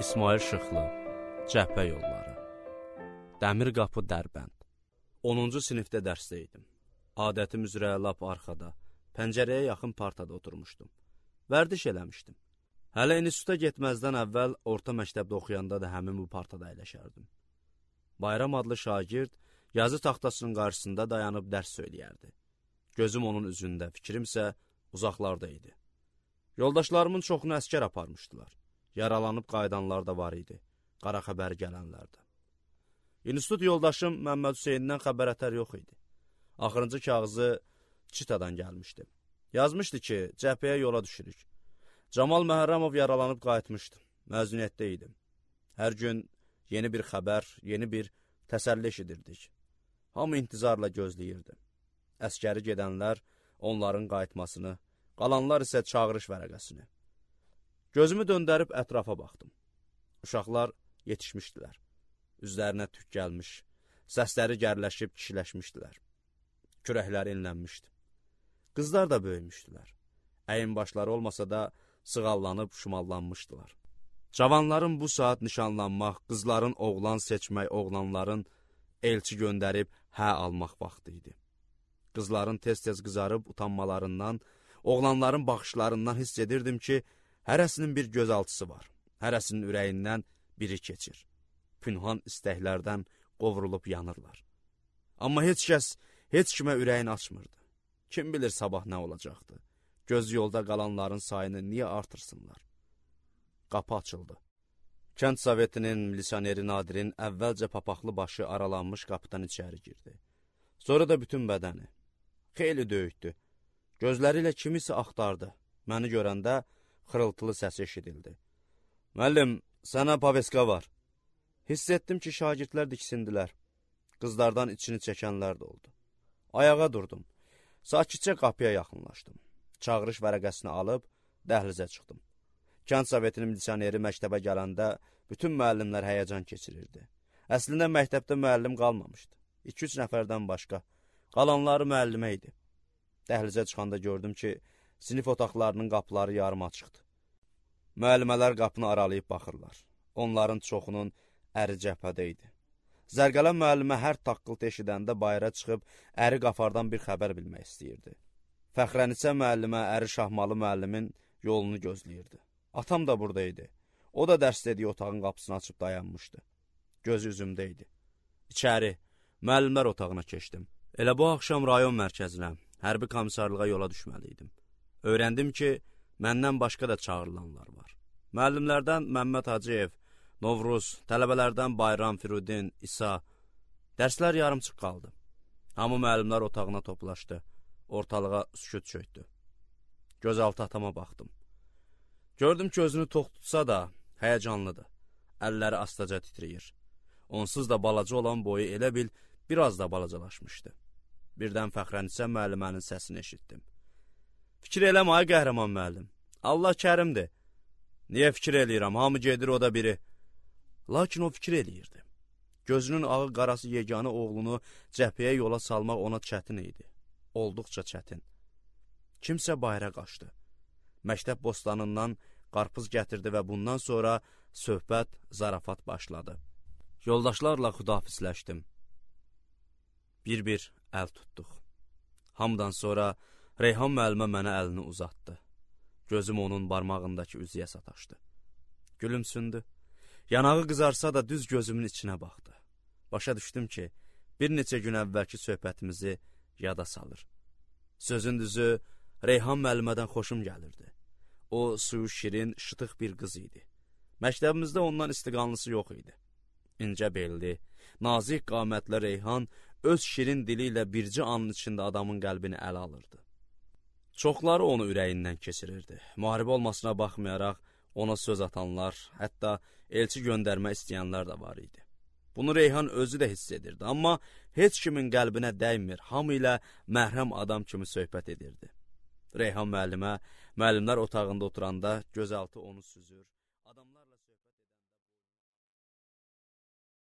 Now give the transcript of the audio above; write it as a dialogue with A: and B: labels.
A: İsmail Şıxlı, Cəhbə yolları, Dəmir qapı Dərbənd. 10-cu sinifdə dərsdə idim. Adətim üzrə lap arxada, pəncərəyə yaxın partada oturmuşdum. Vərdiş eləmişdim. Hələ instituta getməzdən əvvəl orta məktəbdə oxuyanda da həmin bu partada əyləşərdim. Bayram adlı şagird yazı taxtasının qarşısında dayanıb dərs söyləyərdi. Gözüm onun üzündə, fikrimsə uzaqlarda idi. Yoldaşlarımın çoxunu əskər aparmışdılar. Yaralanıb qayıdanlar da var idi, qara xəbər gələnlər də. İnstitut yoldaşım Məmməd Hüseynindən xəbər ətər yox idi. Axırıncı kağızı Çitadan gəlmişdi. Yazmışdı ki, cəbhəyə yola düşürük. Camal Məhərrəmov yaralanıb qayıtmışdı. Məzuniyyətdə idim. Hər gün yeni bir xəbər, yeni bir təsəlli eşidirdik. Hamı intizarla gözləyirdi. Əskəri gedənlər onların qayıtmasını, qalanlar isə çağırış vərəqəsini. Gözümü döndərib ətrafa baxdım. Uşaqlar yetişmişdilər. Üzlərinə tük gəlmiş, səsləri gərləşib kişiləşmişdilər. Kürəkləri inlənmişdi. Qızlar da böyümüşdülər. Əyin başları olmasa da sığallanıb şumallanmışdılar. Cavanların bu saat nişanlanmaq, qızların oğlan seçmək, oğlanların elçi göndərib hə almaq vaxtı idi. Qızların tez-tez qızarıb utanmalarından, oğlanların baxışlarından hiss edirdim ki, hərəsinin bir gözaltısı var, hərəsinin ürəyindən biri keçir. Pünhan istəklərdən qovrulub yanırlar. Amma heç kəs, heç kimə ürəyin açmırdı. Kim bilir sabah nə olacaqdı? Göz yolda qalanların sayını niyə artırsınlar? Qapı açıldı. Kənd Sovetinin milisioneri Nadirin əvvəlcə papaqlı başı aralanmış qapıdan içəri girdi. Sonra da bütün bədəni. Xeyli döyükdü. Gözləri ilə kimisə axtardı. Məni görəndə xırıltılı səsi eşidildi. Müəllim, sənə paveska var. Hiss etdim ki, şagirdlər diksindilər. Qızlardan içini çəkənlər də oldu. Ayağa durdum. Sakitcə qapıya yaxınlaşdım. Çağırış vərəqəsini alıb dəhlizə çıxdım. Kənd Sovetinin milisioneri məktəbə gələndə bütün müəllimlər həyəcan keçirirdi. Əslində məktəbdə müəllim qalmamışdı. 2-3 nəfərdən başqa. Qalanları müəllimə idi. Dəhlizə çıxanda gördüm ki, sinif otaqlarının qapıları yarım açıqdır. Müəllimələr qapını aralayıb baxırlar. Onların çoxunun əri cəbhədə idi. Zərqələn müəllimə hər taqqıltı eşidəndə bayıra çıxıb əri qafardan bir xəbər bilmək istəyirdi. Fəxrənisə müəllimə əri Şahmalı müəllimin yolunu gözləyirdi. Atam da burada idi. O da dərs dediyi otağın qapısını açıb dayanmışdı. Gözü üzümdə idi. İçəri, müəllimlər otağına keçdim. Elə bu axşam rayon mərkəzinə, hərbi komissarlığa yola düşməliydim. Öyrəndim ki, məndən başqa da çağırılanlar var. Müəllimlərdən Məmməd Hacıyev, Novruz, tələbələrdən Bayram, Firudin, İsa. Dərslər yarımçıq qaldı. Hamı müəllimlər otağına toplaşdı. Ortalığa sükut çöktü. Gözaltı atama baxdım. Gördüm ki, özünü tox tutsa da həyəcanlıdır. Əlləri astaca titriyir. Onsuz da balaca olan boyu elə bil biraz da balacalaşmışdı. Birdən Fəxrənisə müəllimənin səsini eşitdim. Fikir eləmə, ay qəhrəman müəllim. Allah kərimdir. Niyə fikir eləyirəm? Hamı gedir, o da biri. Lakin o fikir eləyirdi. Gözünün ağı qarası yeganə oğlunu cəbhəyə yola salmaq ona çətin idi. Olduqca çətin. Kimsə bayıra qaçdı. Məktəb bostanından qarpız gətirdi və bundan sonra söhbət, zarafat başladı. Yoldaşlarla xudafizləşdim. Bir-bir əl tutduq. Hamıdan sonra Reyhan müəllimə mənə əlini uzatdı. Gözüm onun barmağındakı üzüyə sataşdı. Gülümsündü. Yanağı qızarsa da düz gözümün içinə baxdı. Başa düşdüm ki, bir neçə gün əvvəlki söhbətimizi yada salır. Sözün düzü, Reyhan müəllimədən xoşum gəlirdi. O, suyu şirin, şıtıq bir qız idi. Məktəbimizdə ondan istiqanlısı yox idi. İncə belli, nazik qamətli Reyhan öz şirin dili ilə bircə anın içində adamın qəlbini ələ alırdı. Çoxları onu ürəyindən keçirirdi. Müharibə olmasına baxmayaraq ona söz atanlar, hətta elçi göndərmə istəyənlər də var idi. Bunu Reyhan özü də hiss edirdi, amma heç kimin qəlbinə dəymir, hamı ilə məhrəm adam kimi söhbət edirdi. Reyhan müəllimə, müəllimlər otağında oturanda gözaltı onu süzür.